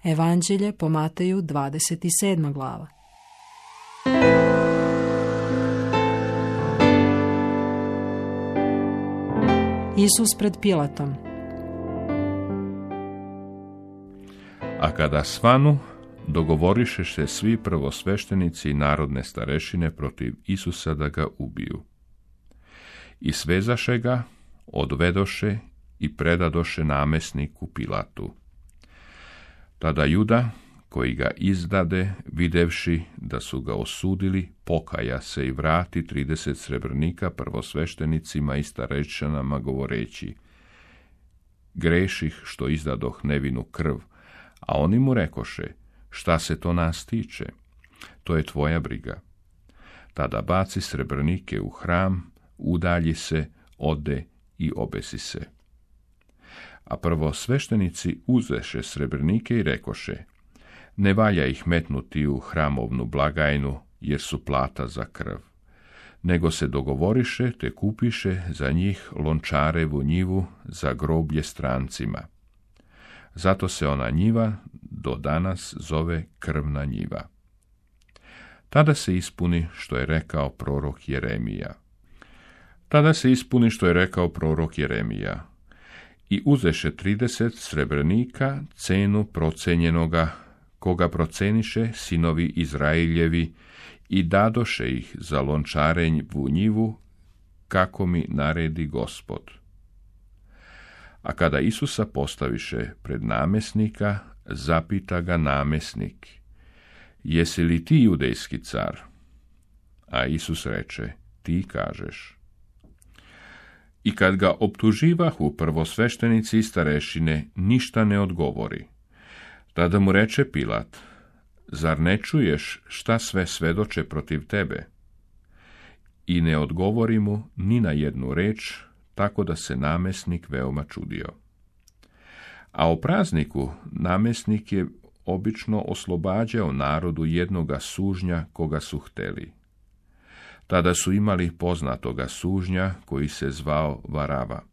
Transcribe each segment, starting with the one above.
Evanđelje po Mateju 27. glava. Isus pred Pilatom. A kada svanu, dogovoriše se svi prvosveštenici i narodne starešine protiv Isusa da ga ubiju. I svezaše ga, odvedoše i predadoše namjesniku Pilatu. Tada Juda, koji ga izdade, videvši da su ga osudili, pokaja se i vrati 30 srebrnika prvosveštenicima i starešinama govoreći: greših što izdadoh nevinu krv, a oni mu rekoše: šta se to nas tiče? To je tvoja briga. Tada baci srebrnike u hram, udalji se, ode i obesi se. A prvosveštenici uzeše srebrnike i rekoše: ne valja ih metnuti u hramovnu blagajnu, jer su plata za krv, nego se dogovoriše te kupiše za njih lončarevu njivu za groblje strancima. Zato se ona njiva do danas zove krvna njiva. Tada se ispuni što je rekao prorok Jeremija. I uzeše 30 srebrnika, cenu procenjenoga, koga proceniše sinovi Izraeljevi, i dadoše ih za lončarenju njivu, kako mi naredi Gospod. A kada Isusa postaviše pred namjesnika, zapita ga namjesnik: jesi li ti judejski car? A Isus reče: ti kažeš. I kad ga optuživahu prvosveštenici i starešine, ništa ne odgovori. Tada mu reče Pilat: zar ne čuješ šta sve svedoče protiv tebe? I ne odgovori mu ni na jednu reč, tako da se namjesnik veoma čudio. A o prazniku namjesnik je obično oslobađao narodu jednoga sužnja koga su hteli. Tada su imali poznatoga sužnja koji se zvao Varava.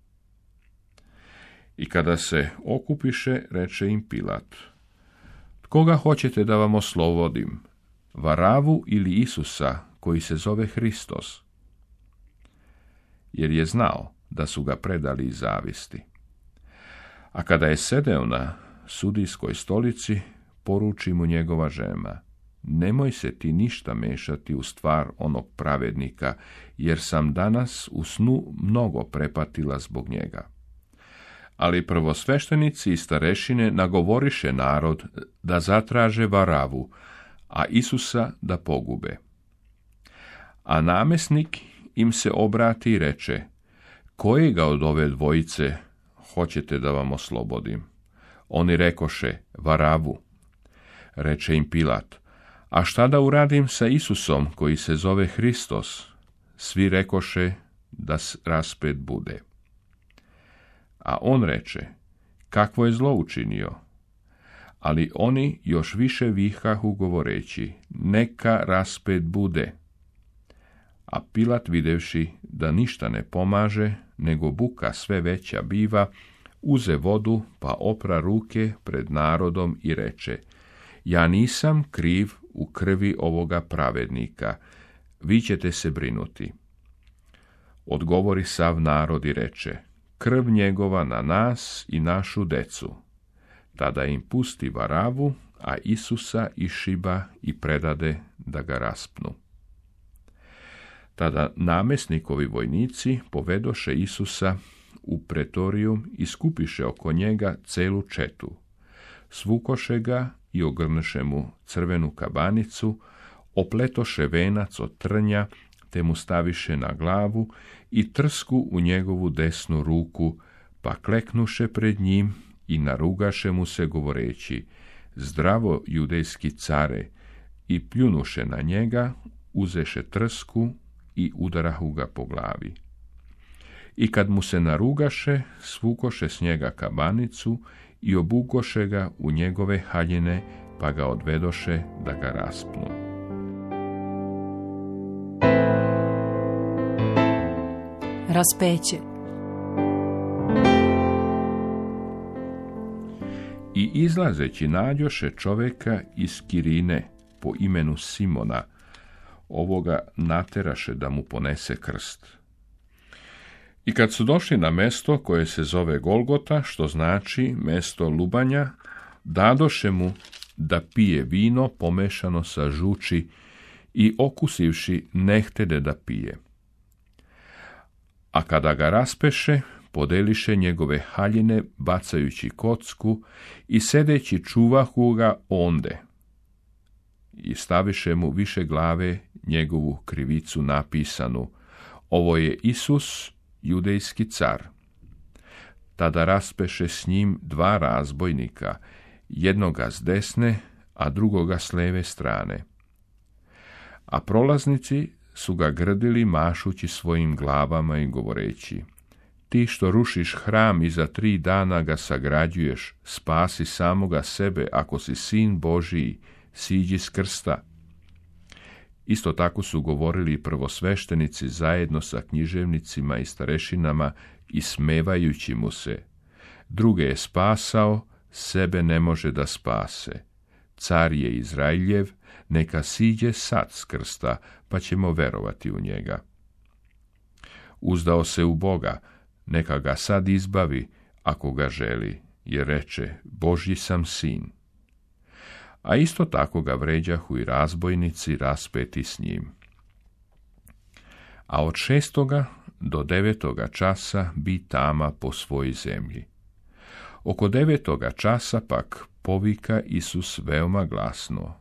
I kada se okupiše, reče im Pilat: koga hoćete da vam oslobodim, Varavu ili Isusa koji se zove Hristos? Jer je znao da su ga predali iz zavisti. A kada je sedeo na sudijskoj stolici, poruči mu njegova žena: nemoj se ti ništa mešati u stvar onog pravednika, jer sam danas u snu mnogo prepatila zbog njega. Ali prvosveštenici i starešine nagovoriše narod da zatraže Varavu, a Isusa da pogube. A namjesnik im se obrati i reče: kojega od ove dvojice hoćete da vam oslobodim? Oni rekoše: Varavu. Reče im Pilat: a šta da uradim sa Isusom koji se zove Hristos? Svi rekoše da raspet bude. A on reče: kakvo je zlo učinio? Ali oni još više vihahu govoreći: neka raspet bude. A Pilat, videvši da ništa ne pomaže, nego buka sve veća biva, uze vodu pa opra ruke pred narodom i reče: ja nisam kriv u krvi ovoga pravednika, vi ćete se brinuti. Odgovori sav narod i reče: krv njegova na nas i našu decu. Tada im pusti Varavu, a Isusa iščiba i predade da ga raspnu. Tada namjesnikovi vojnici povedoše Isusa u pretorijum i skupiše oko njega celu četu. Svukoše ga i ogrnuše mu crvenu kabanicu, opletoše venac od trnja, te mu staviše na glavu i trsku u njegovu desnu ruku, pa kleknuše pred njim i narugaše mu se govoreći: zdravo judejski care, i pljunuše na njega, uzeše trsku i udarahu ga po glavi. I kad mu se narugaše, svukoše s njega kabanicu i obukoše ga u njegove haljine, pa ga odvedoše da ga raspnu. Raspeće. I izlazeći nađoše čoveka iz Kirine po imenu Simona, ovoga nateraše da mu ponese krst. I kad su došli na mesto koje se zove Golgota, što znači mesto lubanja, dadoše mu da pije vino pomešano sa žuči i okusivši nehtede da pije. A kada ga raspeše, podeliše njegove haljine bacajući kocku i sedeći čuvahu ga onde. I staviše mu više glave njegovu krivicu napisanu: ovo je Isus, judejski car. Tada raspeše s njim 2 razbojnika, jednoga s desne, a drugoga s leve strane. A prolaznici su ga grdili mašući svojim glavama i govoreći: ti što rušiš hram i za 3 dana ga sagrađuješ, spasi samoga sebe, ako si sin Božiji, siđi s krsta. Isto tako su govorili i prvosveštenici zajedno sa književnicima i starešinama, ismevajući mu se: druge je spasao, sebe ne može da spase. Car je Izraeljev, neka siđe sad s krsta, pa ćemo verovati u njega. Uzdao se u Boga, neka ga sad izbavi, ako ga želi, jer reče: Božji sam sin. A isto tako ga vređahu i razbojnici raspeti s njim. A od 6. do 9. časa bi tama po svoj zemlji. Oko 9. časa pak povika Isus veoma glasno: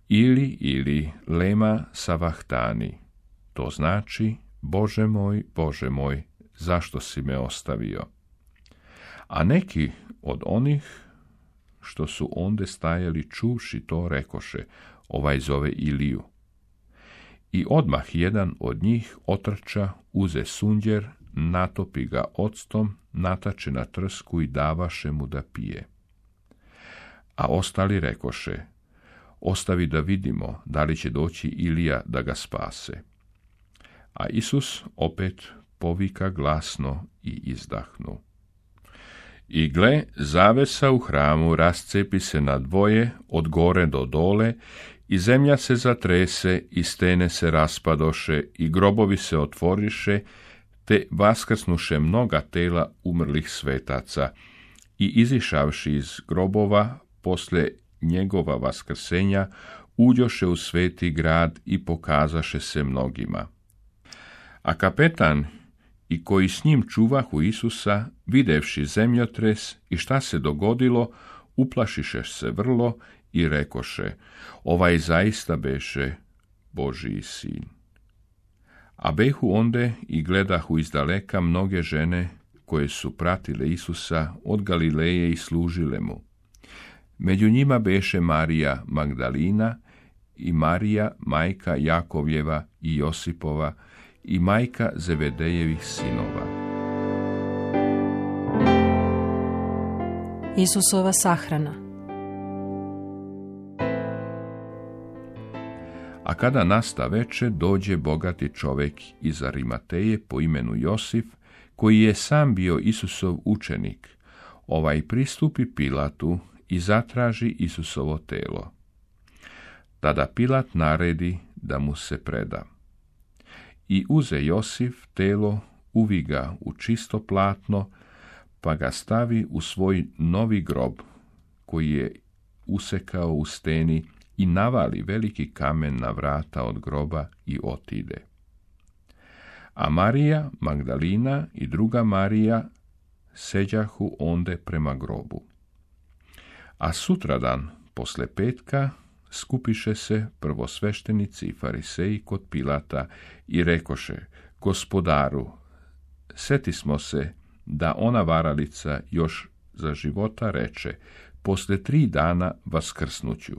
ili lema savahtani, to znači: Bože moj, zašto si me ostavio? A neki od onih što su onde stajali čuvši to rekoše: ovaj zove Iliju. I odmah jedan od njih otrča, uze sunđer, natopi ga octom, natače na trsku i davaše mu da pije. A ostali rekoše: ostavi da vidimo da li će doći Ilija da ga spase. A Isus opet povika glasno i izdahnu. I gle, zavesa u hramu rascepi se na dvoje, od gore do dole, i zemlja se zatrese, i stene se raspadoše, i grobovi se otvoriše, te vaskrsnuše mnoga tela umrlih svetaca, i izišavši iz grobova, posle njegova vaskrsenja, uđoše u sveti grad i pokazaše se mnogima. A kapetan i koji s njim čuvahu Isusa, videvši zemljotres i šta se dogodilo, uplašiše se vrlo i rekoše: ovaj zaista beše Božiji sin. A behu onde i gledahu izdaleka mnoge žene koje su pratile Isusa od Galileje i služile mu. Među njima beše Marija Magdalina i Marija, majka Jakovljeva i Josipova, i majka Zevedejevih sinova. Isusova sahrana. A kada nasta veče, dođe bogati čovek iz Arimateje po imenu Josif, koji je sam bio Isusov učenik. Ovaj pristupi Pilatu i zatraži Isusovo telo. Tada Pilat naredi da mu se preda. I uze Josif telo, uvi ga u čisto platno, pa ga stavi u svoj novi grob, koji je usekao u steni, i navali veliki kamen na vrata od groba i otide. A Marija Magdalina i druga Marija seđahu onde prema grobu. A sutradan, posle petka, skupiše se prvosveštenici i fariseji kod Pilata i rekoše: Gospodaru, setismo se da ona varalica još za života reče: posle 3 dana vaskrsnuću.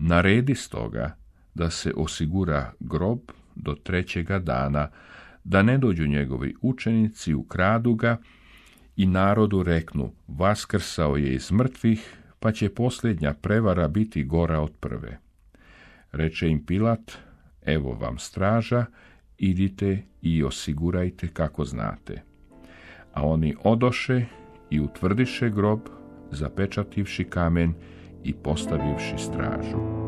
Naredi stoga da se osigura grob do 3. dana, da ne dođu njegovi učenici, ukradu ga i narodu reknu: vaskrsao je iz mrtvih, pa će posljednja prevara biti gora od prve. Reče im Pilat: evo vam straža, idite i osigurajte kako znate. A oni odoše i utvrdiše grob, zapečativši kamen i postavivši stražu.